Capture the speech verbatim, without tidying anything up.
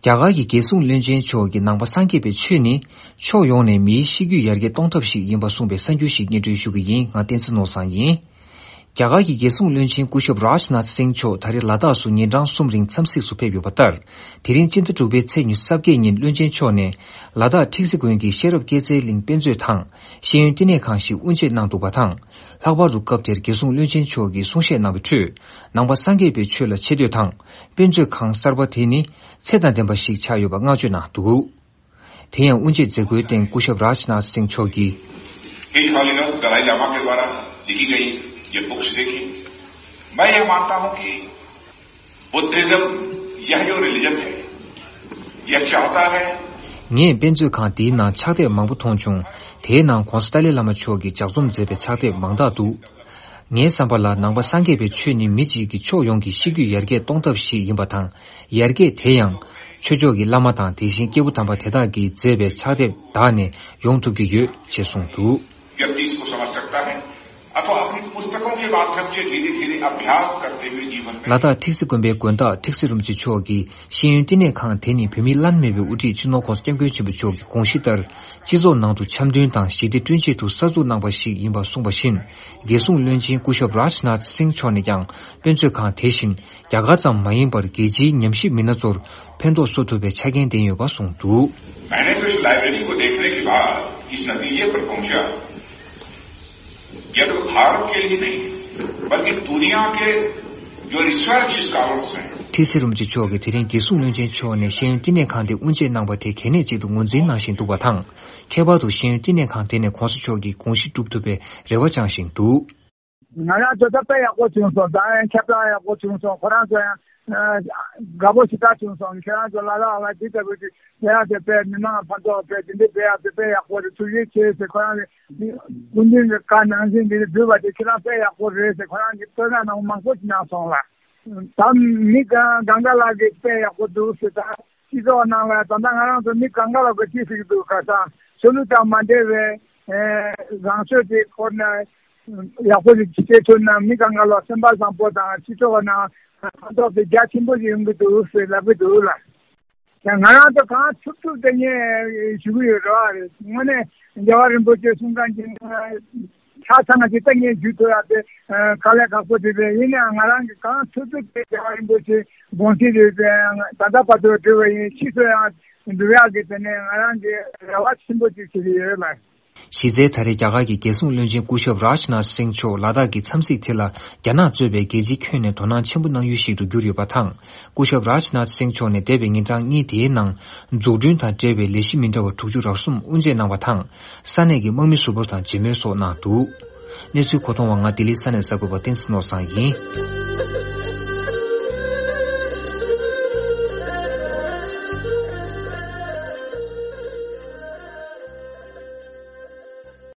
རྒྱ་གར་གྱི་རྒྱལ་སྲུང་བློན་ཆེན་མཆོག་གིས་ནང་པ་སངས་རྒྱས་པའི་ཆོས་ནི་ཕྱོགས་ཡོངས་ནས་མིའི་ཤེས་རྒྱུད་ཡར་རྒྱས་གཏོང་ཐབས་ཤིག་ཡིན་པ་གསུངས་པའི་གསར་འགྱུར་ཞིག་སྙན་སྒྲོན་ཞུ་གི་ཡིན། ང་བསྟན་འཛིན་ནོར་བཟང་ཡིན། རྒྱ་གར་གྱི་རྒྱལ་སྲུང་བློན་ཆེན་སྐུ་ཞབས་རཱཇ་ནཱཐ་སིང་མཆོག་ད་རེས་ལ་དྭགས་སུ་ཉིན་གྲངས་གསུམ་རིང་འཚམས་གཟིགས་སུ་ཕེབས་ཡོད་པ་ལྟར། དེ་རིང་སྤྱི་ཟླ་དྲུག་པའི་ཚེས་ཉི་ཤུ་རྩ་བརྒྱད་ཉིན་བློན་ཆེན་མཆོག་ནས་ལ་དྭགས་ཁྲིག་སི་དགོན་གྱི་ཤེས་རབ་སྐྱེད་ཚལ་གླིང་དཔེ་མཛོད་དང་ཤེས་ཡོན་བསྟི་གནས་ཁང་ཞིག་དབུ་འབྱེད་གནང་འདུག་པ་དང་། ལྷག་པར་དུ་སྐབས་དེར་རྒྱལ་སྲུང་བློན་ཆེན་མཆོག་གིས་གསུང་བཤད་གནང་བའི་ཁྲོད། ནང་པ་སངས་རྒྱས་པའི་ཆོས་ལ་ཆེ་བསྟོད་དང་། དཔེ་མཛོད་ཁང་གསར་པ་དེ་ནི་ཚད་དང་ལྡན་པ་ཞིག་ཆགས་ཡོད་པ་བསྔགས་བརྗོད་གནང་འདུག་དེ་ཡང་དབུ་འབྱེད་མཛད་སྒོའི་སྟེང་སྐུ་ཞབས་རཱཇ་ནཱཐ་སིང་མཆོག་གིས། His Holiness Dalai Lama के द्वारा लिखी गई ये बुक्स देखिए। मैं यह मानता हूं कि बुद्धिज्म यह जो रिलीजन है, यह चाहता है ངས་དཔེ་མཛོད་ཁང་འདིའི་ནང་ཕྱག་དེབ་མང་པོ་མཐོང་བྱུང་། དེའི་ནང་༧གོང་ས་ཏཱ་ལའི་བླ་མ་མཆོག་གིས་ལྗགས་རྩོམ་མཛད་པའི་ཕྱག་དེབ་མང་དག་འདུག་ངའི་བསམ་པ་ལ་ནང་པ་སངས་རྒྱས་པའི་ཆོས་ནི་མི་གཅིག་གི་ཕྱོགས་ཡོངས་ཀྱི་ཤེས་རྒྱུད་ཡར་རྒྱས་གཏོང་ཐབས་ཤིག་ཡིན་པ་དང་། ཡར་རྒྱས་དེ་ཡང་། ཆོས་ཕྱོགས་ཀྱི་བླ་མ་དང་དེ་བཞིན་སྐྱེས་བུ་དམ་པ་དེ་དག་གིས་མཛད་པའི་ཕྱག་དེབ་དག་ནས་ཡོང་ཐུབ་ཀྱི་ཡོད་ཅེས་གསུངས་འདུག व्यक्ति इसको समझ सकता है अथवा अपनी पुस्तकों के माध्यम से धीरे धीरे अभ्यास करते हुए जीवन में ལ་དྭགས་ཁྲིག་སི་དགོན་པའི་དགོན་བདག་ཁྲིག་སི་རིན་པོ་ཆེ་མཆོག་གིས་ཤེས་ཡོན་བསྟི་གནས་ཁང་དེ་ནི་བོད་མིའི་བླ་ན་མེད་པའི་དབུ་ཁྲིད་སྤྱི་ནོར་༧གོང་ས་༧སྐྱབས་མགོན་ཆེན་པོ་མཆོག་གི་དགོངས་གཞི་ལྟར། སྤྱི་ཚོགས་ནང་དུ་འཆམ་མཐུན་དང་ཞི་བདེ་བསྐྲུན་ཆེད་དུ་གསར་འཛུགས་གནང་པ་ཞིག་ཡིན་པ་གསུངས་པ་བཞིན། རྒྱལ་སྲུང་བློན་ཆེན་སྐུ་ཞབས་རཱཇ་ནཱཐ་སིང་མཆོག་ནས་ཀྱང་དཔེ་མཛོད་ཁང་དེ་བཞིན་རྒྱ་གར་ཙམ་མ་ཡིན་པར་རྒྱལ་སྤྱིའི་ཉམས་ཞིབ་མི་སྣ་ཚོར་ཕན་ཐོགས་བཟོ་ཐུབ་པའི་ཆ་རྐྱེན་ལྡན་ཡོད་པ་གསུངས་འདུག मैंने तो इस लाइब्रेरी को देखने के बाद इस नतीजे पर पहुंचा, यह तो भारत के लिए नहीं, बल्कि दुनिया के जो रिसर्च स्कॉलर्स हैं, ཁྲི་སྲིད་རིན་པོ་ཆེ་མཆོག་གིས་དེ་རིང་རྒྱལ་སྲུང་བློན་ཆེན་མཆོག་ནས་ཤེས་ཡོན་བསྟི་གནས་ཁང་དེ་དབུ་འབྱེད་གནང་པ་དེ་གལ་གནད་ཅིག་ཏུ་ངོས་འཛིན་གནང་བཞིན་འདུག་པ་དང་། ཁྱད་པར་དུ་ཤེས་ཡོན་བསྟི་གནས་ཁང་དེ་ནས་གོང་ས་མཆོག་གི་དགོངས་གཞི་སྒྲུབ་ཐུབ་པའི་རེ་བ་བཅངས་བཞིན་འདུག་ང་རང་ཚོ་ད་དཔེ་ཡག་པོ་བྱུང་སོང་། ད་ཡང་ཁྱབ་བསྒྲགས་ཡག་པོ་བྱུང་སོང་། ཁོ་རང་ཚོ་ཡང་དགའ་པོ་ཞེ་དྲག་བྱུང་སོང་། ཁྱེད་རང་ཚོ་ལ་ལ་ལ་འདི་ལྟ་བུ་ཅིག་བྱེད་ཡག་དེ་དཔེ་མི་མང་ཕན་ཐོགས་དཔེ་དེ་འདྲ་བྱེད་ཡག་དེ་དཔེ་ཡག་པོ་རེད། ཐུགས་རྗེ་ཆེ་ཟེར། ཁོ་རང་གི་སྐུ་མདུན་གྱི་བཀའ་ནང་བཞིན་འདི་འདྲ་བསྒྲུབས་པ་དེ་ཁྱེད་རང་དཔེ་ཡག་པོ་རེད་ཟེར། ཁོ་རང་གི་བསྟོད་བསྔགས་གནང་མང་པོ་ཞིག་གནང་སོང་ལ། ད་མི་གང་གང་ག་ལ་གི་དཔེ་ཡག་པོ་འདུག་ཟེར། ད་སྤྱི་ཚོགས་ནང་ལ་ད་ལྟ་ང་རང་ཚོ་མི་གང་ག་ལ་གི་ཅི་ཟེར་གི་འདུག་ཁ་སང་ཆོས་ལུགས་དང་མ་འབྲེལ་བའི་རང་ཆོས་དེ་སྐོར་ནས་ཡག་པོ་ཞིག་བྱེད་ཐུབ་ན་མི་གང་ག་ལ་སེམས་པ་བཟང་པོ་དང་སྤྱི་ཚོགས་ནང་ཕན་ཐོགས་དེ་རྒྱ་ཆེན་པོ་ཞིག་ཡོང་གི་འདུག་ཟེར་ལབ་གི་འདུག་ལ། ཡང་ང་རང་ཚོ་གང་ཐུབ་ཐུབ་དེ་ངས་ཞུ་གི་ཡོད་རེད་བ། རེད། དངོས་གནས་རྒྱལ་བ་རིན་པོ་ཆེ་གསུང་མཁན་གྱི་ཆ་ཚང་གི་ད་ངས་ཞུ་ཐུབ་ཡག་དེ་དཀའ་ལས་ཁག་པོ་དེ་རེད། ཡིན་ནའང་ང་རང་གི་གང་ཐུབ་ཐུབ་དེ་རྒྱལ་བ་རིན་པོ་ཆེ་དགོངས་གཞི་རེད། དེ་ད་ལྟ་བར་དུ་འགྲོ་བ་ཡིན། ཕྱིས་སུ་ཡང་འགྲོ་ཡག་གི་དེ་ནས་ང་རང་གི་རེ་བ་ཆེན་པོ་ཅིག་བྱེད་ཀྱི་ཡོད་ལ། གཞི་རྩའི་ད་རེས་རྒྱ་གར་གྱི་རྒྱལ་སྲུང་བློན་ཆེན་སྐུ་ཞབས་རཱཇ་ནཱཐ་སིང་མཆོག་ལ་དྭགས་ཀྱི་འཚམས་གཟིགས་དེ་ལ་རྒྱ་ནག་གཙོས་པའི་རྒྱལ་སྤྱིའི་ཁྱོན་ནས་དོ་སྣང་ཆེན་པོ་གནང་ཡུལ་ཞིག་ཏུ་གྱུར་ཡོད་པ་དང་། སྐུ་ཞབས་རཱཇ་ནཱཐ་སིང་མཆོག་ནས་འདས་པའི་ཉིན་གྲངས་གཉིས་དེའི་ནང་འཛུགས་སྐྲུན་དང་འབྲེལ་བའི་ལས་གཞི་མི་འདྲ་བ་དྲུག་ཅུ་རེ་གསུམ་དབུ་འབྱེད་གནང་བ་དང་། ས་གནས་ཀྱི་དམག་མི་ཟུར་པ་དང་མཇལ་མོལ་སོགས་གནང་འདུག་གནས་ཚུལ་གོ་མཐོང་བ་ང་ལྡི་ལིའི་ས་གནས་གསར་འགོད་པ་བསྟན་འཛིན་ནོར་བཟང་ཡིན།